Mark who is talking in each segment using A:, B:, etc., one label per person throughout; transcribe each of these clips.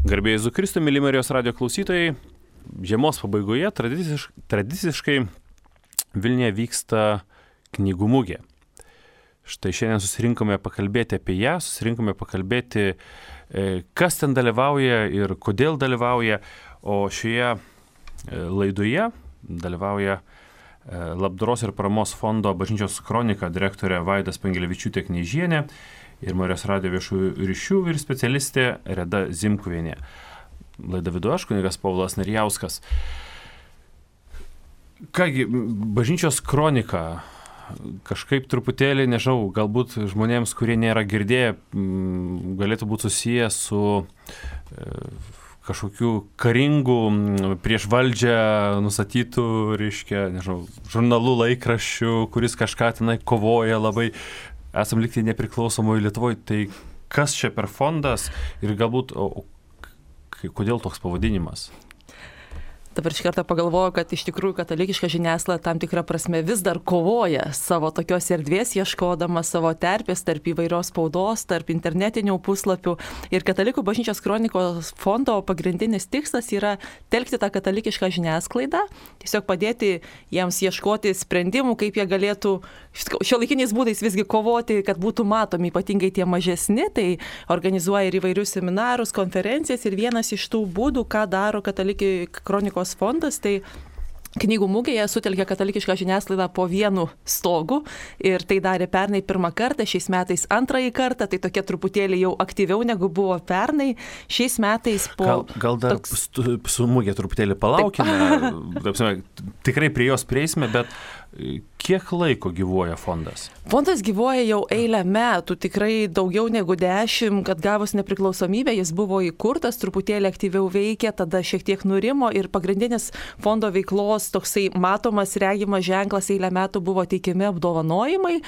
A: Garbėjai Jėzui Kristui, myli Marijos radijo klausytojai, žiemos pabaigoje tradiciškai Vilniuje vyksta knygų mugė. Štai šiandien susirinkome pakalbėti apie ją, kas ten dalyvauja ir kodėl dalyvauja, o šioje laidoje dalyvauja Labdaros ir paramos fondo Bažnyčios kronika direktorė Vaida Spangelevičiūtė-Kneižienė ir Marijos radijo viešųjų ryšių ir specialistė Reda Zimkuvienė. Laidą vedu aš, kunigas Povilas Narijauskas. Kągi, Bažnyčios kronika kažkaip truputėlį, nežinau, galbūt žmonėms, kurie nėra girdėję, galėtų būti susiję su kažkokių karingų prieš valdžią nustatytų, nežinau, žurnalų, laikraščių, kuris kažką tenai kovoja labai. Esam likti nepriklausomoje Lietuvoje. Tai kas čia per fondas ir galbūt kodėl toks pavadinimas?
B: Dabar iš karto pagalvoju, kad iš tikrųjų katalikiška žiniasklaida tam tikrą prasme vis dar kovoja savo tokios erdvės, ieškodama savo terpės tarp įvairios spaudos, tarp internetinių puslapių. Ir Katalikų Bažnyčios kronikos fondo pagrindinis tikslas yra telkti tą katalikišką žiniasklaidą, tiesiog padėti jiems ieškoti sprendimų, kaip jie galėtų šiuolaikiniais būdais visgi kovoti, kad būtų matomi, ypatingai tie mažesni. Tai organizuoja ir įvairius seminarus, konferencijas ir vienas iš tų būdų, ką daro Katalikų kronikos fondas, tai knygų mugėje sutelkė katalikišką žiniasklaidą po vienu stogu ir tai darė pernai pirmą kartą, šiais metais antrąjį kartą, tai tokia truputėlį jau aktyviau negu buvo pernai. Šiais metais po...
A: Gal dar su mugė truputėlį palaukime, tikrai prie jos prieisime, bet kiek laiko gyvuoja fondas?
B: Fondas gyvuoja jau eilę metų, tikrai daugiau negu 10, kad gavus nepriklausomybę jis buvo įkurtas, truputėlį aktyviau veikė, tada šiek tiek nurimo ir pagrindinis fondo veiklos toksai matomas, regimas ženklas eilę metų buvo teikiami apdovanojimai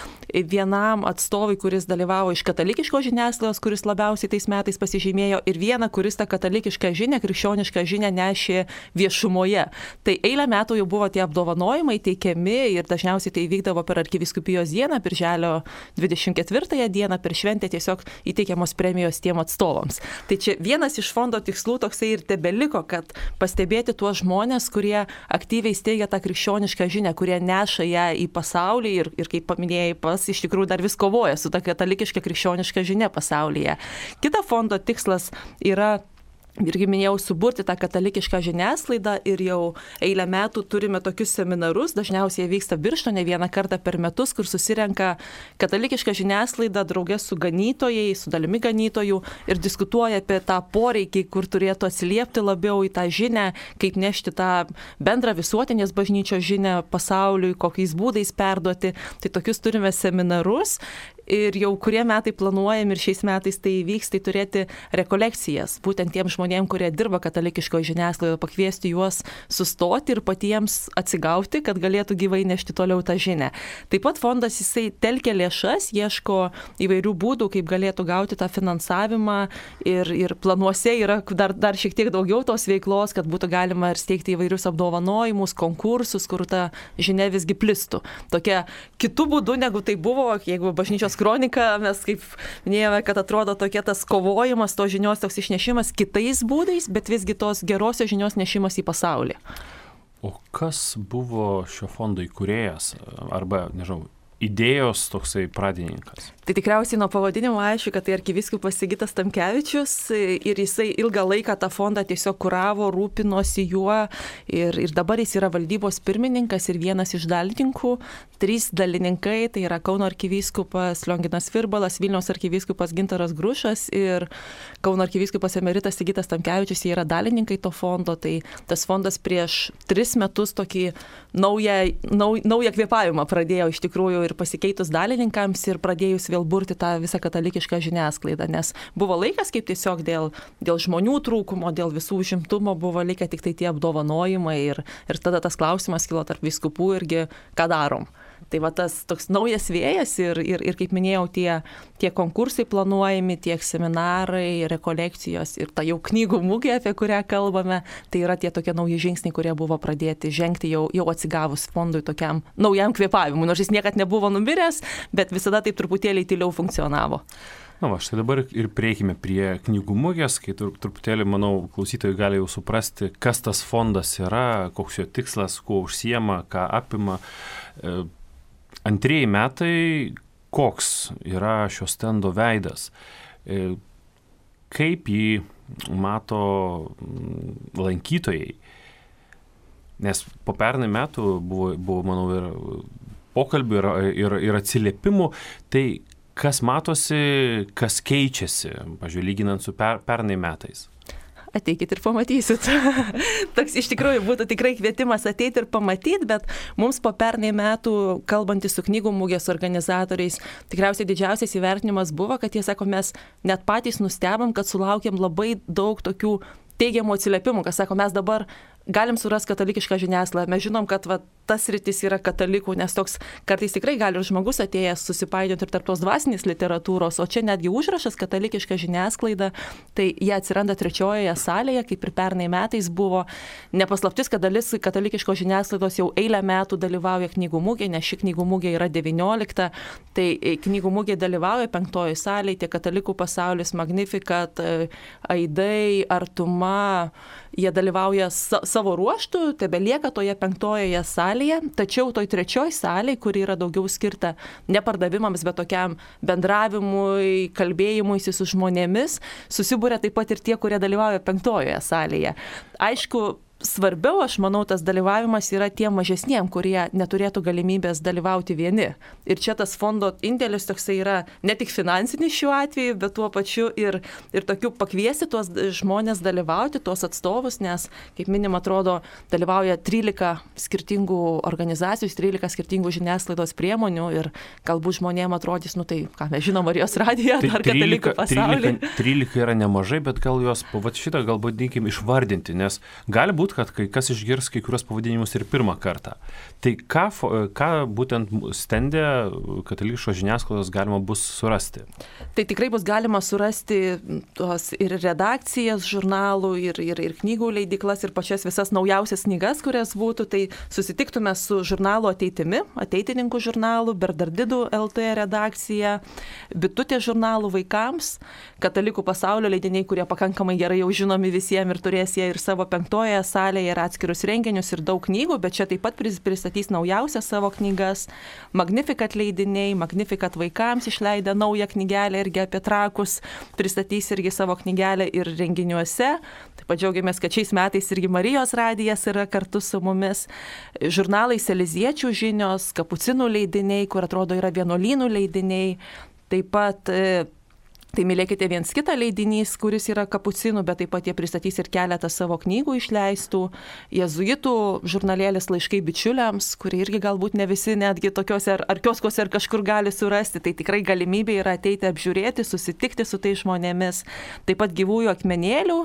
B: vienam atstovui, kuris dalyvavo iš katalikiškos žiniasklaidos, kuris labiausiai tais metais pasižymėjo, ir vieną, kuris tą katalikišką žinią, krikščionišką žinią nešė viešumoje. Tai eilę metų jau buvo tie apdovanojimai teikiami ir dažniausiai tai vykdavo per arkivyskupijos dieną, birželio 24 dieną, per šventę tiesiog įteikiamos premijos tiem atstovams. Tai čia vienas iš fondo tikslų toksai ir tebeliko, kad pastebėti tuos žmonės, kurie aktyviai steigia tą krikščionišką žinią, kurie neša ją į pasaulį ir kaip paminėjai, iš tikrųjų dar vis kovoja su ta katalikiška krikščioniška žinia pasaulyje. Kita fondo tikslas yra, irgi minėjau, suburti tą katalikišką žiniasklaidą ir jau eilę metų turime tokius seminarus, dažniausiai jie vyksta Birštone vieną kartą per metus, kur susirenka katalikiška žiniasklaida draugė su ganytojai, su dalimi ganytojų ir diskutuoja apie tą poreikį, kur turėtų atsiliepti labiau į tą žinią, kaip nešti tą bendrą visuotinės bažnyčios žinią pasauliui, kokiais būdais perduoti. Tai tokius turime seminarus. Ir jau kurie metai planuojam ir šiais metais tai vyks, tai turėti rekolekcijas, būtent tiem žmonėm, kurie dirba katalikiškoje žiniasklaidoje, pakviesti juos sustoti ir patiems atsigauti, kad galėtų gyvai nešti toliau tą žinią. Taip pat fondas jisai telkia lėšas, ieško įvairių būdų, kaip galėtų gauti tą finansavimą ir planuose yra dar šiek tiek daugiau tos veiklos, kad būtų galima ir steigti įvairius apdovanojimus, konkursus, kur ta žinia visgi plistų. Tokia kitų būdų, negu tai buvo, jeigu Bažnyčios kronika, mes kaip minėjome, kad atrodo tokia tas kovojimas, tos žinios toks išnešimas kitais būdais, bet visgi tos gerosios žinios nešimas į pasaulį.
A: O kas buvo šio fondo įkūrėjas arba, nežinau, idėjos toksai pradininkas?
B: Tai tikriausiai nuo pavadinimo aišku, kad tai arkivyskupas Sigitas Tamkevičius ir jisai ilgą laiką tą fondą tiesiog kuravo, rūpinosi juo ir dabar jis yra valdybos pirmininkas ir vienas iš dalininkų. 3 dalininkai, tai yra Kauno arkivyskupas Lionginas Virbalas, Vilniaus arkivyskupas Gintaras Grušas ir Kauno arkivyskupas emeritas Sigitas Tamkevičius, jie yra dalininkai to fondo. Tai tas fondas prieš 3 metus tokį naują kvėpavimą pradėjo iš tikrųjų ir pasikeitus dalininkams ir pradėjus vėl burti tą visą katalikišką žiniasklaidą, nes buvo laikas, kaip tiesiog dėl žmonių trūkumo, dėl visų užimtumo buvo likę tik tai tie apdovanojimai ir tada tas klausimas kilo tarp vyskupų irgi, ką darom. Tai va tas toks naujas vėjas ir kaip minėjau, tie konkursai planuojami, tiek seminarai, rekolekcijos ir ta jau knygų mugė, apie kurią kalbame, tai yra tie tokie nauji žingsniai, kurie buvo pradėti žengti jau atsigavus fondui tokiam naujam kvėpavimui, nors jis niekad nebuvo numiręs, bet visada taip truputėlį tyliau funkcionavo.
A: Na, štai dabar ir prieikime prie knygų mugės, kai truputėlį, manau, klausytojai gali jau suprasti, kas tas fondas yra, koks jo tikslas, kuo užsiema, ką apima. Antrieji metai, koks yra šio stendo veidas, kaip jį mato lankytojai. Nes po pernai metų buvo manau, ir pokalbių, ir atsiliepimų, tai kas matosi, kas keičiasi, pavyzdžiui, lyginant su pernai metais?
B: Ateikit ir pamatysit. Toks iš tikrųjų būtų tikrai kvietimas ateiti ir pamatyti, bet mums po pernai metų, kalbantys su knygų mugės organizatoriais, tikriausiai didžiausias įvertinimas buvo, kad jie sako, mes net patys nustebom, kad sulaukėm labai daug tokių teigiamų atsiliepimų, kas sako, mes dabar galim surasti katalikišką žiniasklaidą. Mes žinom, kad tas sritis yra katalikų, nes toks kartais tikrai gali ir žmogus atėjęs susipainioti ir tarp tos dvasinės literatūros, o čia netgi užrašas katalikiška žiniasklaida, tai jie atsiranda trečiojoje salėje, kaip ir pernai metais buvo. Nepaslaptis, kad dalis katalikiškos žiniasklaidos jau eilę metų dalyvauja knygų mugėje, nes ši knygų mugė yra 19, tai knygų mugėje dalyvauja 5 salėje, tiek katalikų pasaulis, Magnificat, Aidai, Artuma, jie dalyvauja savo ruoštų, tebelieka toje 5 salėje, tačiau toj 3 salėje, kuri yra daugiau skirta ne pardavimams, bet tokiam bendravimui, kalbėjimuisi su žmonėmis, susibūrė taip pat ir tie, kurie dalyvauja 5 salėje. Aišku, svarbiau, aš manau, tas dalyvavimas yra tiem mažesniem, kurie neturėtų galimybės dalyvauti vieni. Ir čia tas fondo indėlis toksai yra ne tik finansinis šiuo atveju, bet tuo pačiu ir tokiu pakviesti tuos žmonės dalyvauti, tuos atstovus, nes, kaip minim, atrodo, dalyvauja 13 skirtingų organizacijų, 13 skirtingų žiniasklaidos priemonių ir galbūt žmonėms atrodys, nu tai, ką mes žinom, Marijos radiją, ar katalikų pasaulį.
A: 13 yra nemažai, bet gal jos, šitą galbūt reikim išvardinti, nes gali būti, kad kai kas išgirs kai kurios pavadinimus ir pirmą kartą. Tai ką būtent stende katalikiškos žiniasklaidos galima bus surasti?
B: Tai tikrai bus galima surasti tos ir redakcijas žurnalų, ir knygų leidyklas, ir pačias visas naujausias knygas, kurias būtų. Tai susitiktume su žurnalu Ateitimi, Ateitininkų žurnalu, Bernardinų LT redakcija, Bitutė žurnalų vaikams, Katalikų pasaulio leidiniai, kurie pakankamai gerai jau žinomi visiems ir turės jie ir savo 5 salėje ir atskirus renginius ir daug knygų, bet čia taip pat pristatys naujausias savo knygas. Magnificat leidiniai, Magnificat vaikams išleidę naują knygelę irgi apie trakus, pristatys irgi savo knygelę ir renginiuose. Taip pat džiaugiamės, kad šiais metais irgi Marijos radijas yra kartu su mumis. Žurnalai Seliziečių žinios, Kapucinų leidiniai, kur atrodo yra vienuolynų leidiniai. Taip pat Tai mylėkite viens kitą leidinys, kuris yra Kapucinų, bet taip pat jie pristatys ir keletą savo knygų išleistų. Jėzuitų žurnalėlis Laiškai bičiuliams, kurie irgi galbūt ne visi netgi tokiuose ar kioskuose ar kažkur gali surasti. Tai tikrai galimybė yra ateiti apžiūrėti, susitikti su tais žmonėmis. Taip pat Gyvųjų akmenėlių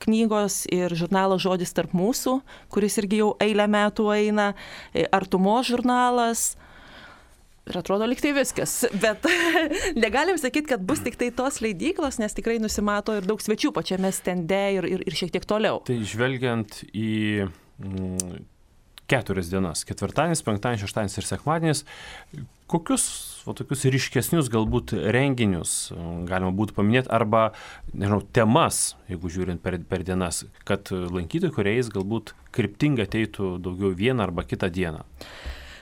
B: knygos ir žurnalas Žodis tarp mūsų, kuris irgi jau eilę metų eina. Artumos žurnalas. Ir atrodo lyg tai viskas, bet negalim sakyti, kad bus tik tai tos leidyklos, nes tikrai nusimato ir daug svečių pačiame stende ir šiek tiek toliau.
A: Tai žvelgiant į 4 dienas, ketvirtadienis, penktadienis, šeštadienis ir sekmadienis, kokius tokius ryškesnius galbūt renginius galima būtų paminėti arba, nežinau, temas, jeigu žiūrint per dienas, kad lankytojai, kuriais galbūt kryptingai ateitų daugiau vieną arba kitą dieną?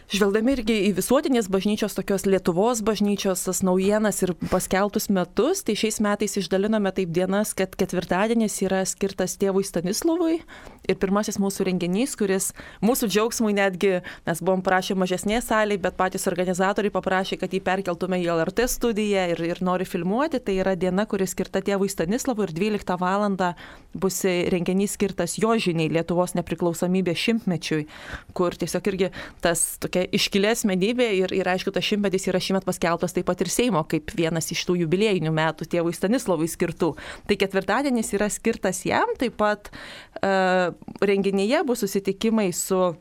B: Žvelgdami irgi į visuotinės bažnyčios, tokios Lietuvos bažnyčios tas naujienas ir paskelbtus metus, tai šiais metais išdalinome taip dienas, kad ketvirtadienis yra skirtas tėvui Stanislovui ir pirmasis mūsų renginys, kuris mūsų džiaugsmui netgi, mes buvom prašę mažesnė salėje, bet patys organizatoriai paprašė, kad jį perkeltume į LRT studiją ir nori filmuoti. Tai yra diena, kuri skirta tėvui Stanislovui ir 12 valandą bus renginys skirtas jo žiniai Lietuvos nepriklausomybės šimtmečiui, kur tiesiog irgi tas tokia iškilė asmenybė ir aišku, tas šimtmetis yra šiemet paskelbtas taip pat ir Seimo, kaip vienas iš tų jubiliejinių metų tėvui Stanislovui skirtų. Tai ketvirtadienis yra skirtas jam, taip pat renginyje bus susitikimai su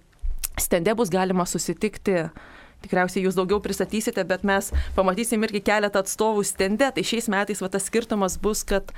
B: stende, bus galima susitikti. Tikriausiai jūs daugiau pristatysite, bet mes pamatysim irgi keletą atstovų stende. Tai šiais metais tas skirtumas bus, kad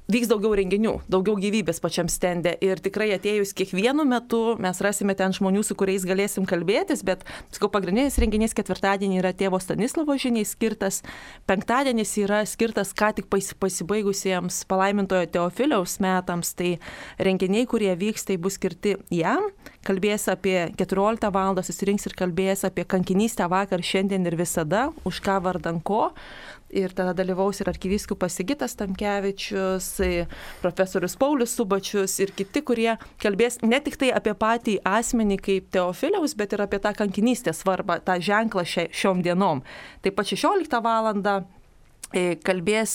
B: vyks daugiau renginių, daugiau gyvybės pačiam stende ir tikrai atėjus kiekvienu metu mes rasime ten žmonių, su kuriais galėsim kalbėtis, bet pagrindinis renginys ketvirtadienį yra tėvo Stanislovo žiniai skirtas, penktadienis yra skirtas ką tik pasibaigusiems palaimintojo Teofiliaus metams, tai renginiai, kurie vyks, tai bus skirti jam, kalbės apie 14 val. Susirinks ir kalbės apie kankinystę vakar, šiandien ir visada, už ką vardan ko. Ir tada dalyvaus ir arkivyskupas Sigitas Tamkevičius, profesorius Paulius Subačius ir kiti, kurie kalbės ne tik tai apie patį asmenį kaip Teofiliaus, bet ir apie tą kankinystės svarbą, tą ženklą šiom dienom. Taip pat 16 valandą kalbės,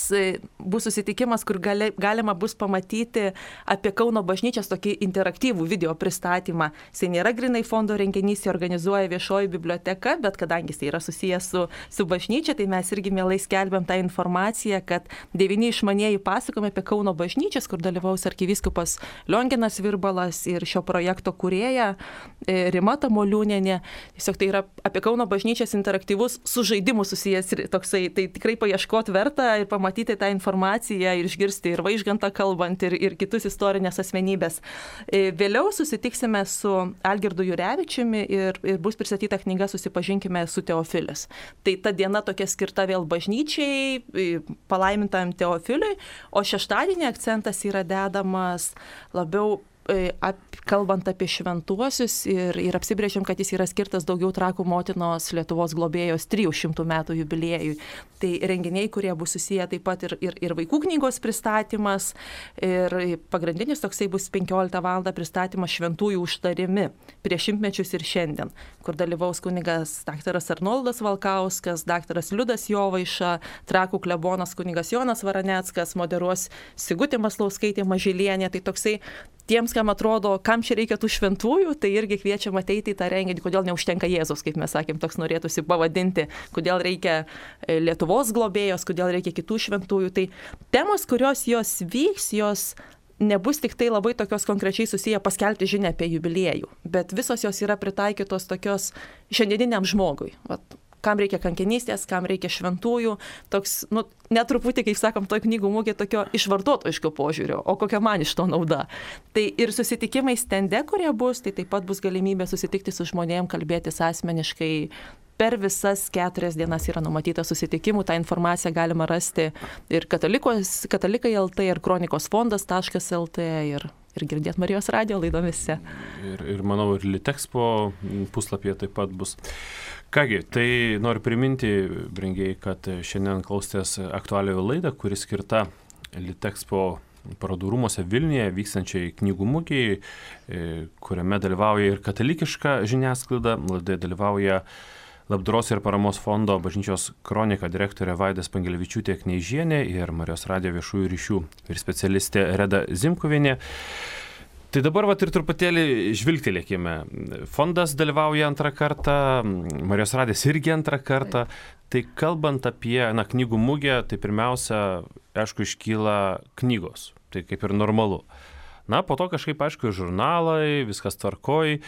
B: bus susitikimas, kur galima bus pamatyti apie Kauno bažnyčios tokį interaktyvų video pristatymą. Jis nėra grinai fondo renginys, jį organizuoja viešoji biblioteka, bet kadangi jis yra susijęs su bažnyčia, tai mes irgi mielai skelbiam tą informaciją, kad 9 išmanieji pasakojimai apie Kauno bažnyčias, kur dalyvaus arkivyskupas Lionginas Virbalas ir šio projekto kūrėja Rima Tamoliūnienė. Tiesiog tai yra apie Kauno bažnyčias interaktyvus su žaidimu susijęs toksai, tai tikrai paieškoti verta ir pamatyti tą informaciją ir išgirsti ir Vaižgantą kalbant ir kitus istorinės asmenybės. Vėliau susitiksime su Algirdu Jurevičiumi ir bus pristatyta knyga Susipažinkime su Teofilis. Tai ta diena tokia skirta vėl bažnyčiai, palaimintam Teofiliui, o šeštadienį akcentas yra dedamas labiau kalbant apie šventuosius ir apsibrėžiam, kad jis yra skirtas daugiau Trakų motinos Lietuvos globėjos 300 metų jubiliejui. Tai renginiai, kurie bus susiję taip pat ir vaikų knygos pristatymas ir pagrindinis toksai bus 15 val. Pristatymas šventųjų užtarimi prieš šimtmečius ir šiandien, kur dalyvaus kunigas daktaras Arnoldas Valkauskas, daktaras Liudas Jovaiša, Trakų klebonas kunigas Jonas Varaneckas, moderuos Sigutė Maslauskaitė Mažylienė. Tai toksai tiems, kam atrodo, kam čia reikia tų šventųjų, tai irgi kviečiam ateiti į tą renginį, kodėl neužtenka Jėzus, kaip mes sakėm, toks norėtųsi pavadinti, kodėl reikia Lietuvos globėjos, kodėl reikia kitų šventųjų. Tai temos, kurios jos vyks, jos nebus tik tai labai tokios konkrečiai susiję paskelbti žinią apie jubiliejų, bet visos jos yra pritaikytos tokios šiandieniniam žmogui. Kam reikia kankinystės, kam reikia šventųjų, toks, netruputį, kaip sakom, toj knygų mugė tokio išvartotojiško požiūrio, o kokia man iš to nauda. Tai ir susitikimai stende, kurie bus, tai taip pat bus galimybė susitikti su žmonėm, kalbėtis asmeniškai. Per visas 4 dienas yra numatyta susitikimų, tą informaciją galima rasti ir katalikai LT, ir kronikos fondas.lt, ir girdėt Marijos radijo laidomisse.
A: Ir manau, ir Litexpo puslapyje taip pat bus. Kągi, tai noriu priminti, brangiai, kad šiandien klausėtės aktualiojo laidą, kuri skirta Litexpo parodų rūmuose Vilniuje vykstančiai knygų mugei, kuriame dalyvauja ir katalikiška žiniasklaida. Laidoje dalyvauja Labdaros ir paramos fondo bažnyčios kronika direktorė Vaida Spangelevičiūtė Kneižienė ir Marijos radijo viešųjų ryšių ir specialistė Reda Zimkuvienė. Tai dabar ir truputėlį žvilgtelėkime. Fondas dalyvauja antrą kartą, Marijos radijas irgi antrą kartą. Tai kalbant apie knygų mugę, tai pirmiausia, aišku, iškyla knygos. Tai kaip ir normalu. Po to kažkaip, aišku, žurnalai, viskas tvarkoj.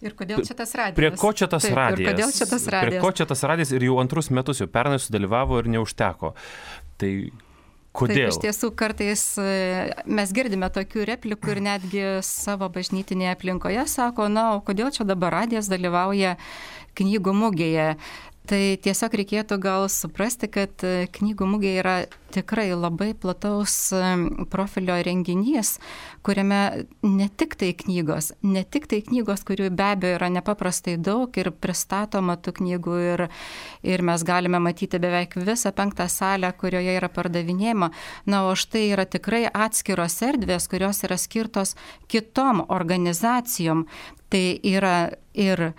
C: Ir kodėl čia tas radijas?
A: Prie ko čia tas radijas?
C: Ir kodėl čia tas radijas?
A: Prie ko čia tas radijas ir jau antrus metus, jau pernai sudalyvavo ir neužteko. Tai kodėl?
C: Taip, iš tiesų kartais mes girdime tokių replikų ir netgi savo bažnytinėje aplinkoje sako, o kodėl čia dabar radijas dalyvauja knygų mugėje. Tai tiesiog reikėtų gal suprasti, kad knygų mugė yra tikrai labai plataus profilio renginys, kuriame ne tik tai knygos, kurių be abejo yra nepaprastai daug ir pristatoma tų knygų ir mes galime matyti beveik visą 5 salę, kurioje yra pardavinėjama. O štai yra tikrai atskiros erdvės, kurios yra skirtos kitom organizacijom. Tai yra ir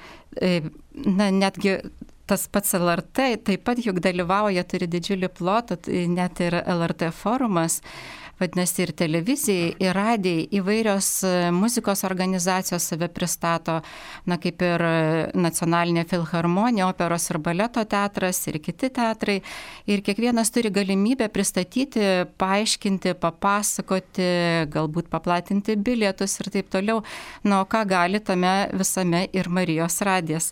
C: netgi tas pats LRT taip pat juk dalyvauja, turi didžiulį plotą, net ir LRT forumas, vadinasi ir televizijai, ir radijai, įvairios muzikos organizacijos save pristato, kaip ir Nacionalinė filharmonija, operos ir baleto teatras ir kiti teatrai. Ir kiekvienas turi galimybę pristatyti, paaiškinti, papasakoti, galbūt paplatinti bilietus ir taip toliau. Ką gali tame visame ir Marijos radijas.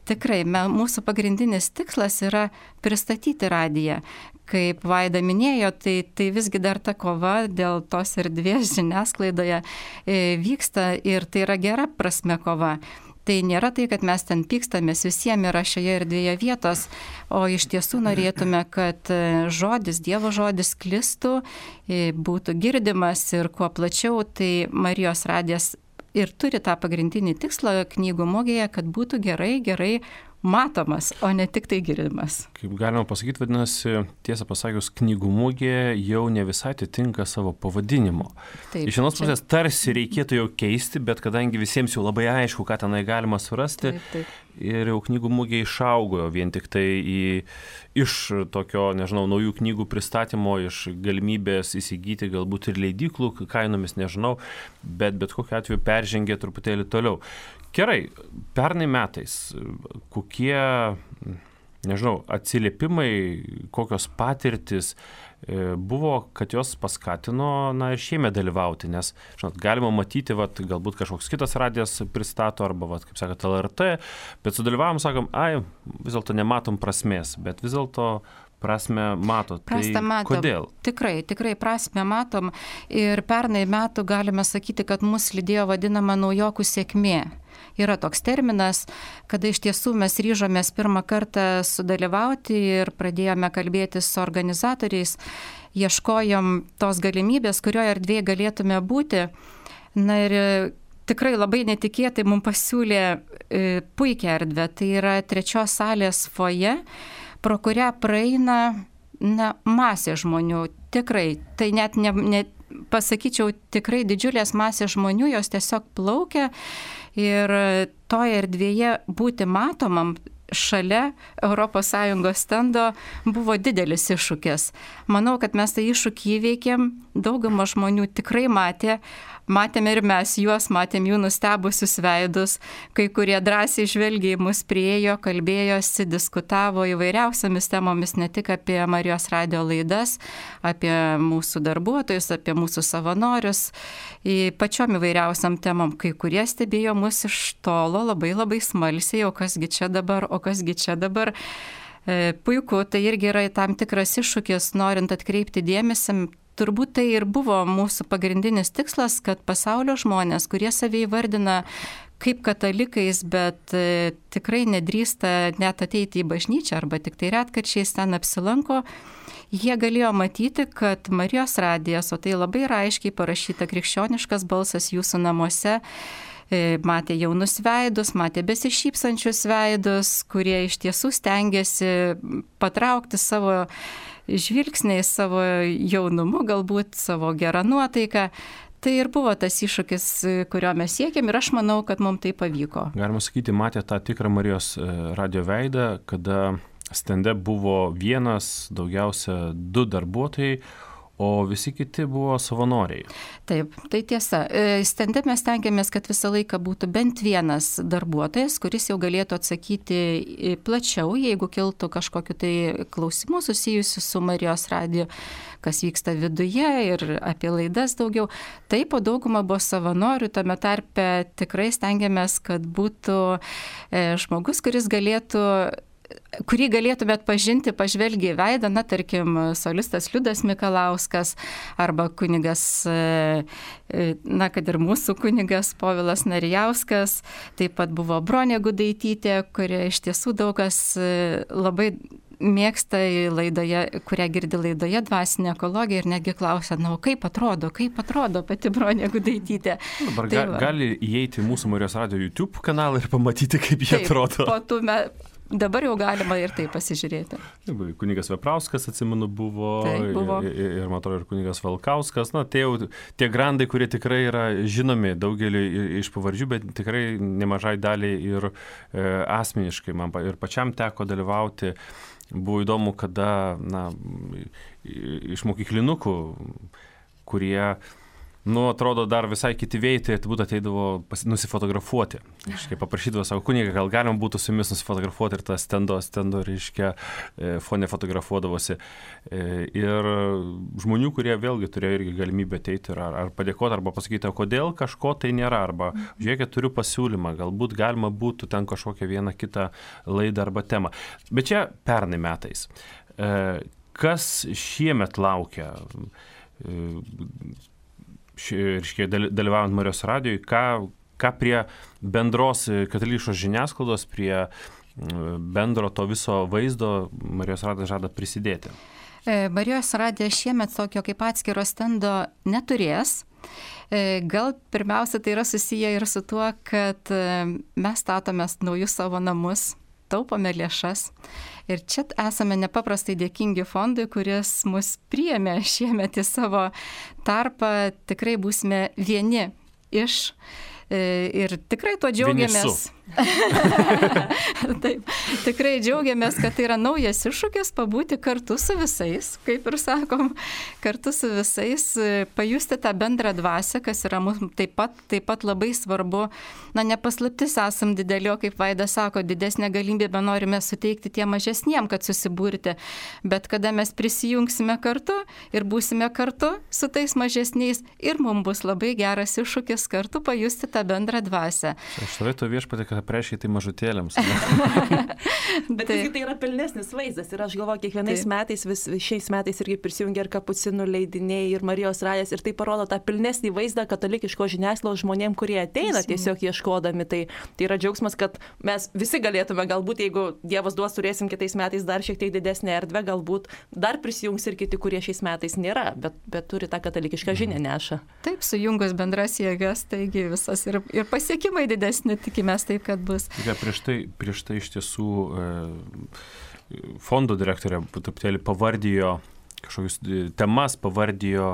C: Tikrai, mūsų pagrindinis tikslas yra pristatyti radiją. Kaip Vaida minėjo, tai visgi dar ta kova dėl tos erdvės žiniasklaidoje vyksta ir tai yra gera prasme kova. Tai nėra tai, kad mes ten pykstamės, visiems yra šioje erdvėje vietos, o iš tiesų norėtume, kad žodis, Dievo žodis sklistų, būtų girdimas ir kuo plačiau, tai Marijos radijas ir turi tą pagrindinį tikslą knygų mugėje, kad būtų gerai matomas, o ne tik tai girdimas.
A: Kaip galima pasakyti, vadinasi, tiesą pasakius, knygų mugė jau ne visai atitinka savo pavadinimo.
C: Taip,
A: iš vienos pusės tarsi reikėtų jau keisti, bet kadangi visiems jau labai aišku, ką tenai galima surasti,
C: taip.
A: Ir jau knygų mugė išaugo vien tik tai iš tokio, nežinau, naujų knygų pristatymo, iš galimybės įsigyti galbūt ir leidyklų kainomis, nežinau, bet kokiu atveju peržengė truputėlį toliau. Gerai, pernai metais kokie, nežinau, atsiliepimai, kokios patirtis buvo, kad jos paskatino, ir šiemet dalyvauti, nes, žinot, galima matyti, galbūt kažkoks kitas radijas pristato, arba, kaip sakot, LRT, bet sudalyvavom, sakom, vis dėlto nematom prasmės, bet vis dėlto prasme matot.
C: Prasme matom.
A: Kodėl?
C: Tikrai prasme matom ir pernai metų galime sakyti, kad mus lydėjo vadinama naujokų sėkmė. Yra toks terminas, kada iš tiesų mes ryžomės pirmą kartą sudalyvauti ir pradėjome kalbėtis su organizatoriais, ieškojom tos galimybės, kurioje erdvėje galėtume būti. Ir tikrai labai netikėtai mums pasiūlė puikią erdvę, tai yra 3 salės foje, pro kurią praeina masė žmonių. Tikrai, tai net pasakyčiau, tikrai didžiulės masės žmonių, jos tiesiog plaukia ir toje erdvėje būti matomam šalia ES stendo buvo didelis iššūkis. Manau, kad mes tą iššūkį įveikėm, dauguma žmonių tikrai matėme ir mes juos, matėm jų nustebusius veidus, kai kurie drąsiai žvelgiai mus priejo, kalbėjosi, diskutavo įvairiausiamis temomis, ne tik apie Marijos radijo laidas, apie mūsų darbuotojus, apie mūsų savanorius, pačiom įvairiausiam temom, kai kurie stebėjo mus iš tolo labai smalsiai, o kasgi čia dabar. Puiku, tai irgi yra tam tikras iššūkis, norint atkreipti dėmesį. Turbūt tai ir buvo mūsų pagrindinis tikslas, kad pasaulio žmonės, kurie save įvardina kaip katalikais, bet tikrai nedrįsta net ateiti į bažnyčią arba tik tai retkarčiais ten apsilanko, jie galėjo matyti, kad Marijos radijas, o tai labai aiškiai parašyta krikščioniškas balsas jūsų namuose, matė jaunus veidus, matė besišypsančius veidus, kurie iš tiesų stengiasi patraukti savo žvilgsniai, savo jaunumu, galbūt savo gerą nuotaiką. Tai ir buvo tas iššūkis, kurio mes siekėm ir aš manau, kad mums tai pavyko.
A: Galima sakyti, matė tą tikrą Marijos radijo veidą, kada stende buvo vienas, daugiausia 2 darbuotojai, o visi kiti buvo savanoriai.
C: Taip, tai tiesa. Stende mes tengiamės, kad visą laiką būtų bent vienas darbuotojas, kuris jau galėtų atsakyti plačiau, jeigu kiltų kažkokiu tai klausimų susijusiu su Marijos radiju, kas vyksta viduje ir apie laidas daugiau. Taip, o dauguma buvo savanorių, tame tarpe tikrai stengiamės, kad būtų žmogus, kurį galėtumėt pažinti, pažvelgi į veidą, tarkim, solistas Liudas Mikalauskas arba kunigas, kad ir mūsų kunigas Povilas Narijauskas, taip pat buvo Bronė Gudaitytė, kurie iš tiesų daugas labai mėgsta laidoje, kurią girdi laidoje Dvasinė ekologija ir netgi klausia, kaip atrodo pati Bronė Gudaitytė.
A: Dabar gali įeiti į mūsų Marijos radijo YouTube kanalą ir pamatyti, kaip jie atrodo.
C: Dabar jau galima ir tai pasižiūrėti.
A: Kunigas Veprauskas, atsimenu, buvo. Ir man atrodo, ir kunigas Valkauskas. Tie grandai, kurie tikrai yra žinomi daugeliu iš pavardžių, bet tikrai nemažai daliai ir asmeniškai. Man ir pačiam teko dalyvauti. Buvo įdomu, kada iš mokyklinukų, kurie atrodo, dar visai kiti vėjai, tai turbūt ateidavo nusifotografuoti. Reiškia, paprašydavo savo kunigą, gal galima būtų su jumis nusifotografuoti ir tą stendo, reiškia, fone fotografuodavosi. Ir žmonių, kurie vėlgi turėjo irgi galimybę ateiti ir ar padėkoti, arba pasakyti, kodėl kažko tai nėra, arba žiūrėkit, turiu pasiūlymą, galbūt galima būtų ten kažkokią vieną kitą laidą arba temą. Bet čia pernai metais. Kas šiemet laukia, dalyvaujant Marijos radijui, ką prie bendros katalikiškos žiniasklaidos, prie bendro to viso vaizdo Marijos radijas žada prisidėti?
C: Marijos radijas šiemet tokio kaip atskiro stendo neturės. Gal pirmiausia tai yra susiję ir su tuo, kad mes statome naujus savo namus, taupome lėšas. Ir čia esame nepaprastai dėkingi fondui, kuris mus priėmė šiemet į savo tarpą. Tikrai būsime vieni iš. Ir tikrai tuo džiaugiamės. Taip, tikrai džiaugiamės, kad tai yra naujas iššūkis pabūti kartu su visais, kaip ir sakom, kartu su visais, pajusti tą bendrą dvasią, kas yra mums taip pat labai svarbu. Nepaslaptis esam didelio, kaip Vaidas sako, didesnė galimybė norime suteikti tie mažesniem, kad susibūrti. Bet kada mes prisijungsime kartu ir būsime kartu su tais mažesniais, ir mums bus labai geras iššūkis kartu pajusti tą bendrą dvasią.
A: Štai to viešpatį, kad aprešiai tai mažutėlėms.
B: Bet tai yra pilnesnis vaizdas ir aš galvoju, kiekvienais metais, šiais metais irgi prisijungia ir Kapucinų leidiniai, ir Marijos radijas, ir tai parodo tą pilnesnį vaizdą katalikiško žiniasklaidos žmonėm, kurie ateina tiesiog ieškodami. Tai yra džiaugsmas, kad mes visi galėtume, galbūt jeigu Dievas duos, turėsim kitais metais dar šiek tiek didesnę erdvę, galbūt dar prisijungs ir kiti, kurie šiais metais nėra, bet turi tą katalikišką žinią neša.
C: Taip, sujungus bendras jėgas, taigi visas ir pasiekimai didesni, tikimės taip, kad bus.
A: Prieš tai iš tiesų fondo direktorė truputėlį pavardijo kažkokius temas, pavardijo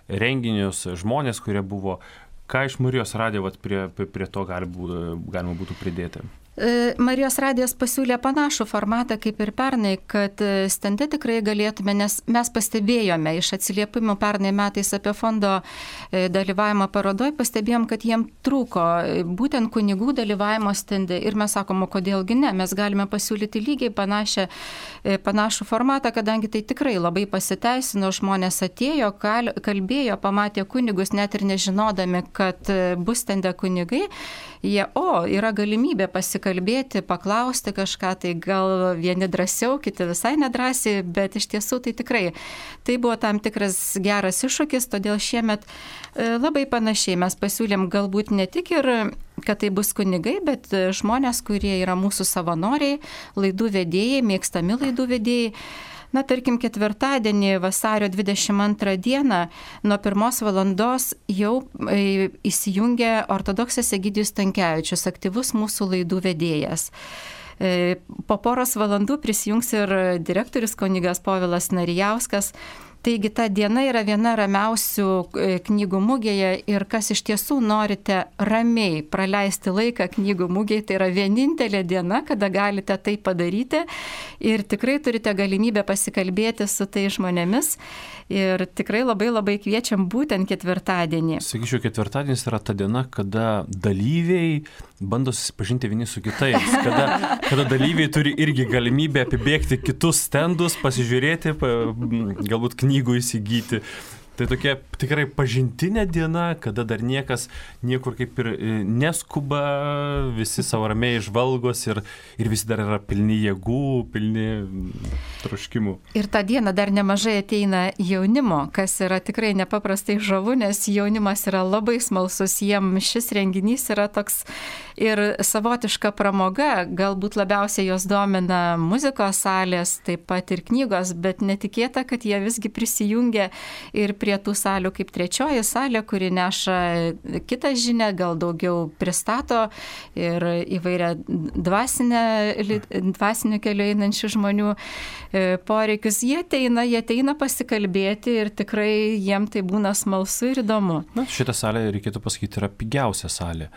A: renginius, žmonės, kurie buvo. Ką iš Marijos radijo prie to galima būtų pridėti?
C: Marijos radijas pasiūlė panašų formatą kaip ir pernai, kad stende tikrai galėtume, nes mes pastebėjome iš atsiliepimų pernai metais apie fondo dalyvavimą parodoj, pastebėjom, kad jiem trūko būtent kunigų dalyvavimo stende ir mes sakom, kodėlgi ne, mes galime pasiūlyti lygiai panašų formatą, kadangi tai tikrai labai pasiteisino, žmonės atėjo, kalbėjo, pamatė kunigus, net ir nežinodami, kad bus stende kunigai, yra galimybė pasikalbėti, paklausti kažką, tai gal vieni drąsiau, kiti visai nedrąsiai, bet iš tiesų tai tikrai tai buvo tam tikras geras iššūkis, todėl šiemet labai panašiai mes pasiūlėm galbūt ne tik ir kad tai bus kunigai, bet žmonės, kurie yra mūsų savanoriai, laidų vedėjai, mėgstami laidų vedėjai. Tarkim, ketvirtadienį, vasario 22 dieną, nuo 1 valandos jau įsijungė ortodoksas Egidijus Stankevičius, aktyvus mūsų laidų vedėjas. Po poros valandų prisijungs ir direktorius kunigas Povilas Narijauskas. Taigi ta diena yra viena ramiausių knygų mugėje ir kas iš tiesų norite ramiai praleisti laiką knygų mugėje, tai yra vienintelė diena, kada galite tai padaryti ir tikrai turite galimybę pasikalbėti su tai žmonėmis ir tikrai labai labai kviečiam būtent ketvirtadienį.
A: Sakyčiau, ketvirtadienis yra ta diena, kada dalyviai bando susipažinti vieni su kitais, kada dalyviai turi irgi galimybę apibėgti kitus stendus, pasižiūrėti, galbūt knygų įsigyti. Tai tokia tikrai pažintinė diena, kada dar niekas niekur kaip ir neskuba, visi savo ramiai žvalgos ir visi dar yra pilni jėgų, pilni troškimų.
C: Ir tą dieną dar nemažai ateina jaunimo, kas yra tikrai nepaprastai žavu, nes jaunimas yra labai smalsus, jiem šis renginys yra toks ir savotiška pramoga, galbūt labiausiai jos domina muzikos salės, taip pat ir knygos, bet netikėta, kad jie visgi prisijungia ir prie tų salių kaip trečioji salė, kuri neša kitą žinią, gal daugiau pristato ir įvairia dvasiniu keliu einančių žmonių poreikius. Jie ateina pasikalbėti ir tikrai jiem tai būna smalsu ir įdomu.
A: Šitą salę, reikėtų pasakyti, yra pigiausia salė.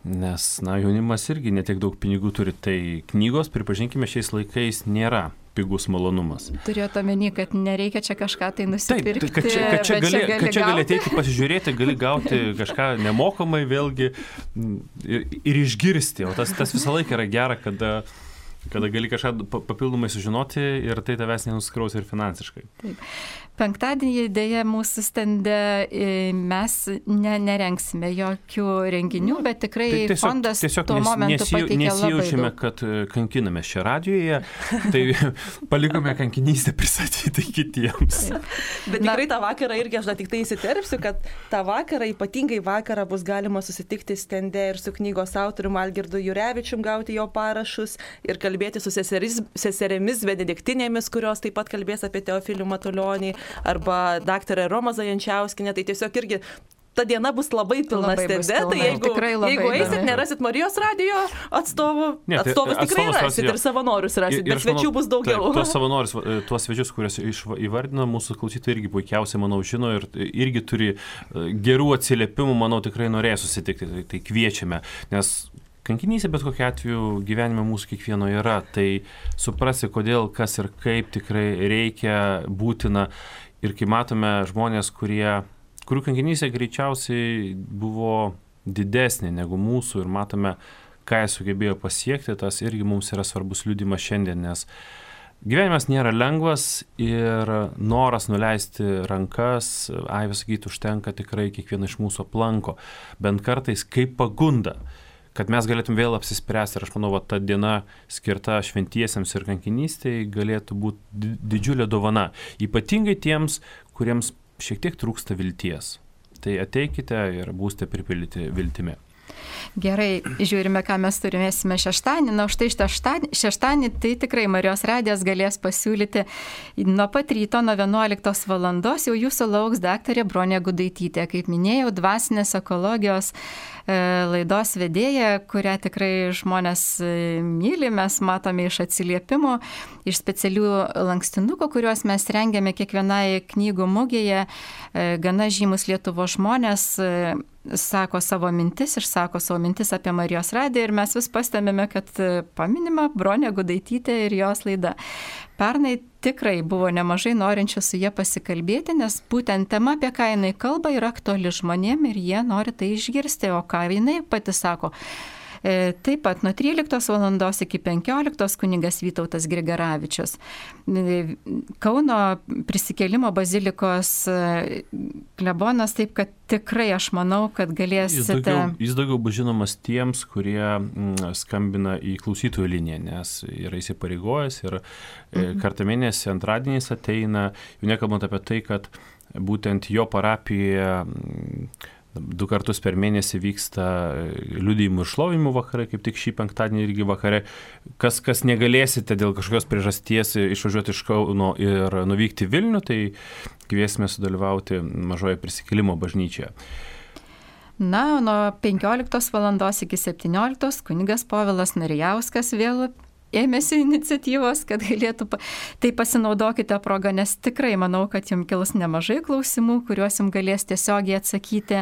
A: Nes jaunimas irgi netiek daug pinigų turi, tai knygos, pripažinkime, šiais laikais nėra pigus malonumas.
C: Turėjote omeny, kad nereikia čia kažką tai nusipirkti.
A: Taip, kad čia gali ateiti pasižiūrėti, gali gauti kažką nemokamai vėlgi ir išgirsti. O tas visą laiką yra gera, kada gali kažką papildomai sužinoti ir tai tavęs nenusikraus ir finansiškai.
C: Taip. Penktadienį dėja mūsų stende mes nerengsime jokių renginių, bet tikrai fondas tuo momentu pateikė labai daug.
A: Nesijaučiame, kad kankiname šią radijoje, tai palikome kankinystę pristatyti kitiems.
B: Bet tikrai tą vakarą irgi aš tik tai įsiterpsiu, kad tą vakarą, ypatingai vakarą bus galima susitikti stende ir su knygos autoriumi Algirdu Jurevičium, gauti jo parašus ir kalbėti su seserėmis benediktinėmis, kurios taip pat kalbės apie Teofilių Matulionį, arba daktarė Roma Zajančiauskinė, tai tiesiog irgi ta diena bus labai pilna stende, tai jeigu eisit, nerasit Marijos radijo atstovų, atstovus tikrai rasit ir savanorius rasit, bet svečių bus daugiau.
A: Tuos savanorius, tuos svečius, kuriuos įvardino, mūsų klausytojai irgi puikiausiai, manau, žino ir irgi turi gerų atsiliepimų, manau, tikrai norėjo susitikti, tai kviečiame, nes kankinystė bet kokiu atveju gyvenime mūsų kiekvieno yra, tai suprasti, kodėl, kas ir kaip tikrai reikia, būtina. Ir kai matome žmonės, kurių kankinystė greičiausiai buvo didesnė negu mūsų ir matome, ką jie sugebėjo pasiekti, tas irgi mums yra svarbus liudimas šiandien, nes gyvenimas nėra lengvas ir noras nuleisti rankas, sakyti, užtenka tikrai kiekvieną iš mūsų aplanko, bent kartais kaip pagunda, kad mes galėtum vėl apsispręsti. Ir aš manau, ta diena skirta šventiesiems ir kankinystei galėtų būti didžiulė dovana. Ypatingai tiems, kuriems šiek tiek trūksta vilties. Tai ateikite ir būsite pripildyti viltimi.
C: Gerai, žiūrime, ką mes turėsime šeštadienį. Na, štai šeštadienį tai tikrai Marijos radijas galės pasiūlyti nuo pat ryto, nuo 11 valandos jau jūsų lauks daktarė Bronė Gudaitytė. Kaip minėjau, dvasinės ekologijos laidos vedėja, kurią tikrai žmonės myli, mes matome iš atsiliepimų, iš specialių lankstinukų, kuriuos mes rengiame kiekvienai knygų mugėje. Gana žymus Lietuvos žmonės sako savo mintis, išsako savo mintis apie Marijos radiją ir mes vis pastebime, kad paminima Bronė Gudaitytė ir jos laida. Pernai tikrai buvo nemažai norinčių su jie pasikalbėti, nes būtent tema, apie ką jinai kalba, yra aktuali žmonėm ir jie nori tai išgirsti, o ką jinai pati sako. Taip pat nuo 13 valandos iki 15 kunigas Vytautas Grigaravičius. Kauno Prisikėlimo bazilikos klebonas, taip kad tikrai aš manau, kad galėsite...
A: Jis daugiau bus žinomas tiems, kurie skambina į klausytojų liniją, nes yra įsipareigojęs ir kartą mėnesį antradieniais ateina, jau nekalbant apie tai, kad būtent jo parapijoje 2 kartus per mėnesį vyksta liudijimų ir šlovimų vakarai, kaip tik šį penktadienį irgi vakare. Kas negalėsite dėl kažkokios priežasties išvažiuoti iš Kauno ir nuvykti Vilnių, tai kviesime sudalyvauti Mažoje Prisikėlimo bažnyčioje.
C: Na, nuo 15 valandos iki 17 kunigas Povilas Narijauskas vėl ėmėsi iniciatyvos, kad galėtų, tai pasinaudokite progą, nes tikrai manau, kad jums kils nemažai klausimų, kuriuos jums galės tiesiogiai atsakyti.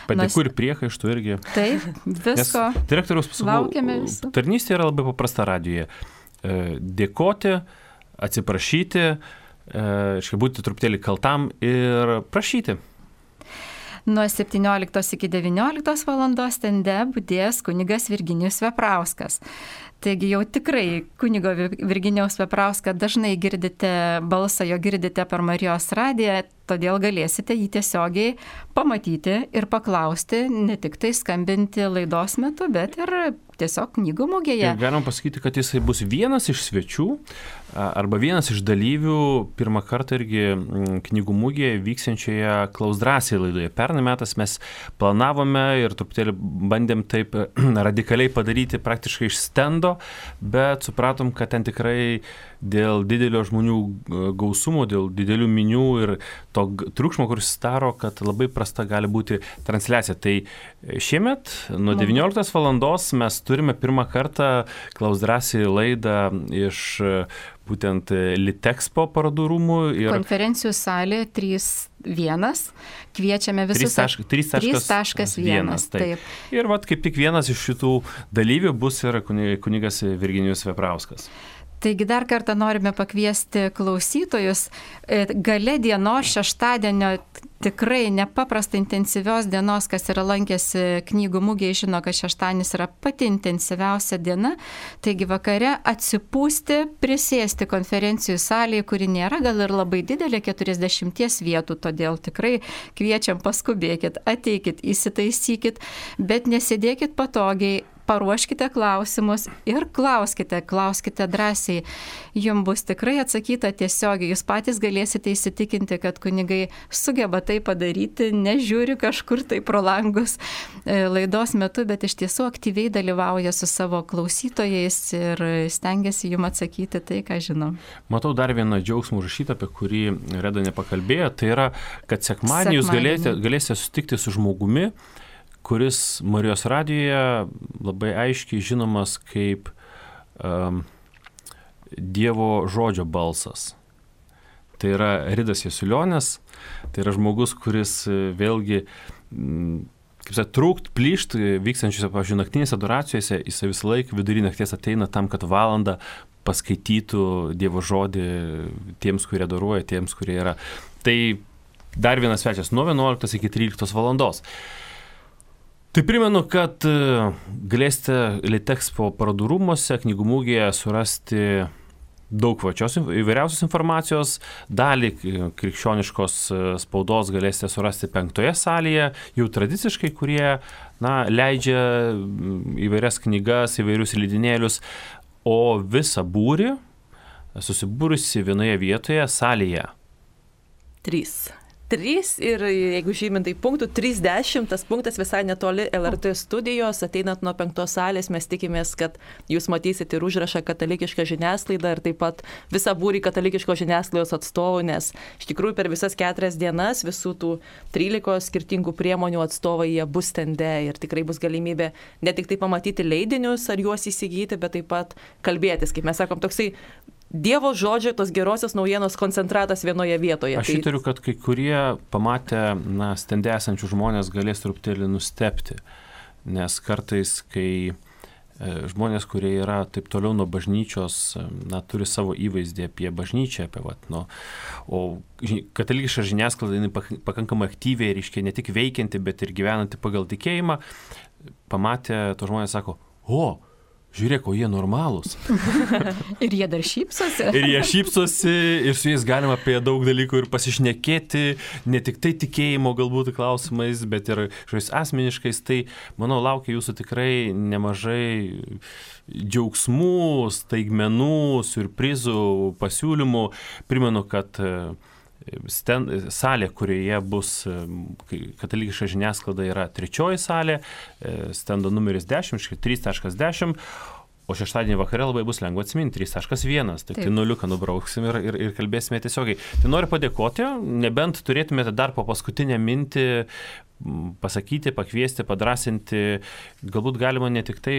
A: Padėkų ir priekaištų irgi.
C: Taip, visko.
A: Direktoriaus pasakau, tarnystė yra labai paprasta radijoje. Dėkoti, atsiprašyti, būti truputėlį kaltam ir prašyti.
C: Nuo 17 iki 19 valandos stende budės kunigas Virginijus Veprauskas. Taigi jau tikrai kunigo Virginijaus Veprauską dažnai girdite balsą, jo girdite per Marijos radiją, todėl galėsite jį tiesiogiai pamatyti ir paklausti, ne tik tai skambinti laidos metu, bet ir tiesiog knygų mugėje.
A: Ir galim pasakyti, kad jisai bus vienas iš svečių arba vienas iš dalyvių pirmą kartą irgi knygų mugėje vyksiančioje Klaus drąsiai laidoje. Pernai metais mes planavome ir truputėlį bandėm taip radikaliai padaryti praktiškai iš stendo, bet supratom, kad ten tikrai dėl didelio žmonių gausumo, dėl didelių minių ir to triukšmo, kuris daro, kad labai prasta gali būti transliacija. Tai šiemet nuo 19 valandos mes turime pirmą kartą Klaus drąsiai laidą iš būtent Litexpo parodų rūmų.
C: Konferencijų salė 3.1. Kviečiame visus. 3.1. Taip.
A: Ir kaip tik vienas iš šitų dalyvių bus ir kunigas Virginijus Veprauskas.
C: Taigi dar kartą norime pakviesti klausytojus. Gale dienos šeštadienio tikrai nepaprastai intensyvios dienos, kas yra lankėsi knygų mugėje, žino, kad šeštadienis yra pati intensyviausia diena. Taigi vakare atsipūsti, prisėsti konferencijų salėje, kuri nėra gal ir labai didelė, 40 vietų, todėl tikrai kviečiam, paskubėkit, ateikit, įsitaisykit, bet nesėdėkit patogiai. Paruoškite klausimus ir klauskite drąsiai. Jums bus tikrai atsakyta tiesiogiai. Jūs patys galėsite įsitikinti, kad kunigai sugeba tai padaryti, nežiūri kažkur tai pro langus laidos metu, bet iš tiesų aktyviai dalyvauja su savo klausytojais ir stengiasi jums atsakyti tai, ką žino.
A: Matau dar vieną džiaugsmą užrašytą, apie kurį Reda nepakalbėjo. Tai yra, kad sekmadienį jūs galėsite sutikti su žmogumi, kuris Marijos radijoje labai aiškiai žinomas kaip Dievo žodžio balsas. Tai yra Ridas Jasulionis, tai yra žmogus, kuris vėlgi, kaip sakė, trūkt, plyšt, vykstančiuose, pavyzdžiui, naktinėse adoracijose, jis visą laiką vidury nakties ateina tam, kad valandą paskaitytų Dievo žodį tiems, kurie adoruoja, tiems, kurie yra. Tai dar vienas svečias nuo 11 iki 13 valandos. Tai primenu, kad galėsite Litexpo parodų rūmuose, knygų mugėje surasti daug plačios įvairiausios informacijos. Dalį krikščioniškos spaudos galėsite surasti 5 salėje, jau tradiciškai, kurie leidžia įvairias knygas, įvairius leidinėlius, o visą būrį susibūrusi vienoje vietoje salėje.
B: 3 ir jeigu žymintai punktų, 30, tas punktas visai netoli LRT studijos, ateinant nuo 5 salės, mes tikimės, kad jūs matysite ir užrašą katalikišką žiniasklaidą ir taip pat visą būrį katalikiškos žiniasklaidos atstovų, nes iš tikrųjų per visas 4 dienas visų tų 13 skirtingų priemonių atstovai jie bus stende ir tikrai bus galimybė ne tik tai pamatyti leidinius ar juos įsigyti, bet taip pat kalbėtis, kaip mes sakom, toksai Dievo žodžio, tos gerosios naujienos koncentratas vienoje vietoje.
A: Aš įtariu, kad kai kurie pamatę stende esančių žmonės galės truputėlį nustebti, nes kartais, kai žmonės, kurie yra taip toliau nuo bažnyčios, turi savo įvaizdį apie bažnyčią, o katalikiška žiniasklaida pakankamai aktyviai, reiškia, ne tik veikianti, bet ir gyvenanti pagal tikėjimą, pamatę to žmonės sako, žiūrėk, o jie normalūs.
C: Ir jie dar šypsosi.
A: Ir su jais galima apie daug dalykų ir pasišnekėti, ne tik tai tikėjimo galbūt klausimais, bet ir šiais asmeniškais. Tai, manau, laukia jūsų tikrai nemažai džiaugsmų, staigmenų, siurprizų, pasiūlymų. Primenu, kad salė, kurioje bus katalikiška žiniasklaida, yra 3 salė, stendo numeris 10, 3.10, o šeštadienį vakare labai bus lengva atsiminti 3.1, tai nuliuką nubrauksim ir kalbėsime tiesiogiai. Tai noriu padėkoti, nebent turėtumėte dar po paskutinę mintį pasakyti, pakviesti, padrasinti, galbūt galima ne tik tai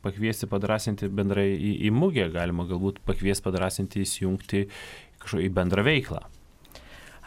A: pakviesti, padrasinti bendrai į mugę, galima galbūt pakviesti, padrasinti, įsijungti į bendrą veiklą.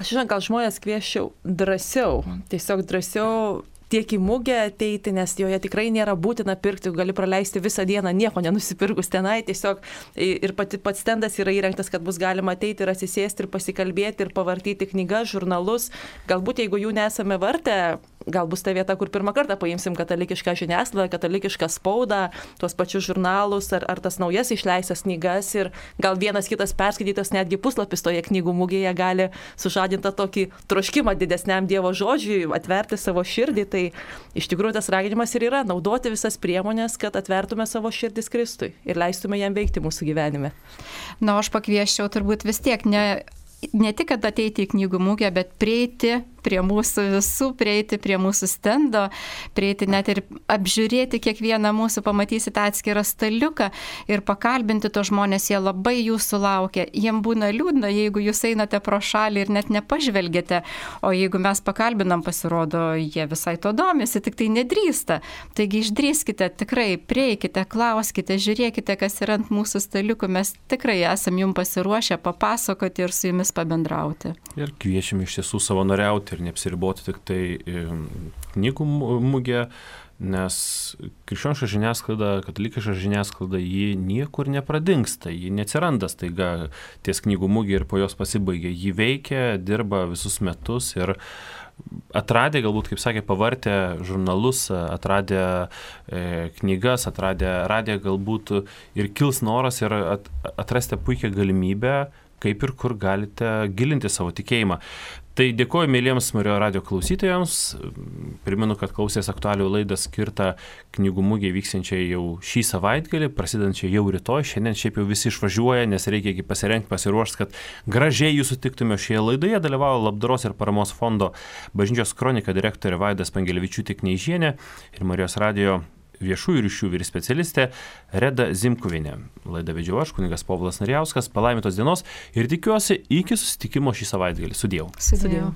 B: Aš žinau, gal žmonės kvieščiau drąsiau, tiesiog drąsiau tiek į mugę ateiti, nes joje tikrai nėra būtina pirkti, gali praleisti visą dieną nieko nenusipirkus tenai, tiesiog ir pats stendas yra įrengtas, kad bus galima ateiti ir atsisėsti ir pasikalbėti ir pavartyti knygas, žurnalus. Galbūt jeigu jų nesame vartę, gal bus ta vieta, kur pirmą kartą paimsim katalikišką žiniasklaidą, katalikišką spaudą, tuos pačius žurnalus ar tas naujas išleistas knygas ir gal vienas kitas perskaitytas netgi puslapis toje knygų mugėje gali sužadinti tokį troškimą didesniam Dievo žodžiui, atverti savo širdį. Tai iš tikrųjų tas raginimas ir yra naudoti visas priemonės, kad atvertume savo širdis Kristui ir leistume jam veikti mūsų gyvenime.
C: Aš pakvieščiau turbūt vis tiek ne tik, kad ateiti į knygų mugę, bet prieiti prie mūsų visų, prieiti prie mūsų stendo, prieiti net ir apžiūrėti kiekvieną mūsų, pamatysite atskirą staliuką ir pakalbinti to žmonės, jie labai jūsų laukia. Jiem būna liūdna, jeigu jūs einate pro šalį ir net nepažvelgėte, o jeigu mes pakalbinam, pasirodo, jie visai to domisi, tik tai nedrįsta. Taigi išdrįskite, tikrai prieikite, klauskite, žiūrėkite, kas yra ant mūsų staliukų, mes tikrai esam jums pasiruošę papasakoti ir su jumis jais pabendrauti.
A: Ir kviečiame iš tiesų savanoriauti ir neapsiriboti tik tai knygų mugė, nes krikščioniška žiniasklaida, katalikiška žiniasklaida, ji niekur nepradingsta, ji neatsiranda staiga ties knygų mugė ir po jos pasibaigia. Ji veikia, dirba visus metus ir atradę, galbūt, kaip sakė, pavartę žurnalus, atradę knygas, atradę radiją, galbūt ir kils noras ir atrasti puikią galimybę, kaip ir kur galite gilinti savo tikėjimą. Tai dėkoju mėlyjams Marijos radijo klausytojams. Primenu, kad klausės aktualių laidą skirtą knygų mugėje vyksiančiai jau šį savaitgalį, prasidedančiai jau rytoj. Šiandien šiaip jau visi išvažiuoja, nes reikia pasirengti, pasiruošti, kad gražiai jūs sutiktume šioje laidoje. Dalyvavo Labdaros ir paramos fondo Bažnyčios kronika direktorė Vaida Spengelevičiūtė-Kneižienė ir Marijos radijo viešųjų ryšių vyr specialistė Reda Zimkuvienė. Laidą vedžiau aš, kunigas Povilas Narijauskas. Palaimintos dienos ir tikiuosi iki susitikimo šį savaitgalį. Sudiev.
C: Sudiev.